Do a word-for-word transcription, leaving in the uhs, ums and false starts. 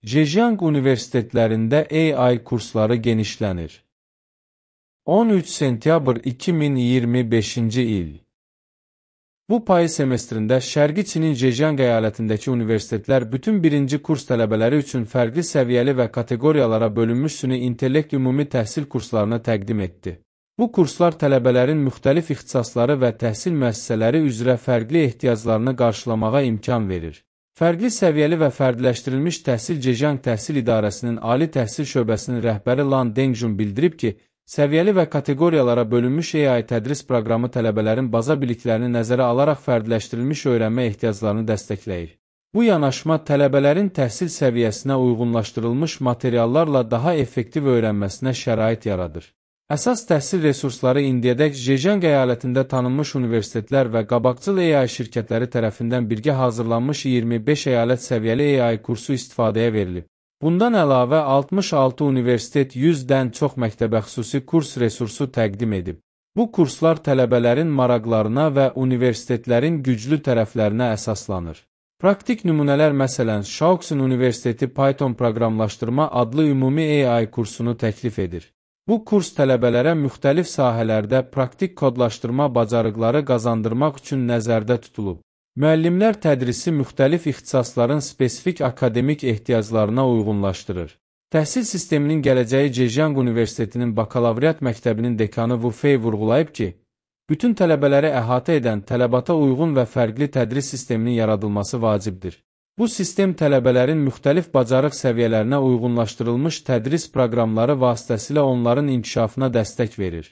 Zhejiang universitetlərində A I kursları genişlənir. on üç sentyabr iki min iyirmi beşinci il. Bu payız semestrində Şərqi Çinin Zhejiang əyalətindəki universitetlər bütün birinci kurs tələbələri üçün fərqli səviyyəli və kateqoriyalara bölünmüş süni intellekt ümumi təhsil kurslarını təqdim etdi. Bu kurslar tələbələrin müxtəlif ixtisasları və təhsil müəssisələri üzrə fərqli ehtiyaclarını qarşılamağa imkan verir. Fərqli səviyyəli və fərdiləşdirilmiş təhsil Zhejiang Təhsil İdarəsinin Ali Təhsil Şöbəsinin rəhbəri Lan Dengjun bildirib ki, səviyyəli və kateqoriyalara bölünmüş A I tədris proqramı tələbələrin baza biliklərini nəzərə alaraq fərdiləşdirilmiş öyrənmə ehtiyaclarını dəstəkləyir. Bu yanaşma tələbələrin təhsil səviyyəsinə uyğunlaşdırılmış materiallarla daha effektiv öyrənməsinə şərait yaradır. Əsas təhsil resursları indiyədək Zhejiang əyalətində tanınmış universitetlər və qabaqcıl A I şirkətləri tərəfindən birgə hazırlanmış iyirmi beş əyalət səviyyəli A I kursu istifadəyə verilib. Bundan əlavə altmış altı universitet yüzdən çox məktəbə xüsusi kurs resursu təqdim edib. Bu kurslar tələbələrin maraqlarına və universitetlərin güclü tərəflərinə əsaslanır. Praktik nümunələr məsələn Shaoxing Universiteti Python proqramlaşdırma adlı ümumi A I kursunu təklif edir. Bu kurs tələbələrə müxtəlif sahələrdə praktik kodlaşdırma bacarıqları qazandırmaq üçün nəzərdə tutulub. Müəllimlər tədrisi müxtəlif ixtisasların spesifik akademik ehtiyaclarına uyğunlaşdırır. Təhsil sisteminin gələcəyi Zhejiang Universitetinin bakalavriat məktəbinin dekanı Wu Fei vurğulayıb ki, bütün tələbələri əhatə edən tələbata uyğun və fərqli tədris sisteminin yaradılması vacibdir. Bu sistem tələbələrin müxtəlif bacarıq səviyyələrinə uyğunlaşdırılmış tədris proqramları vasitəsilə onların inkişafına dəstək verir.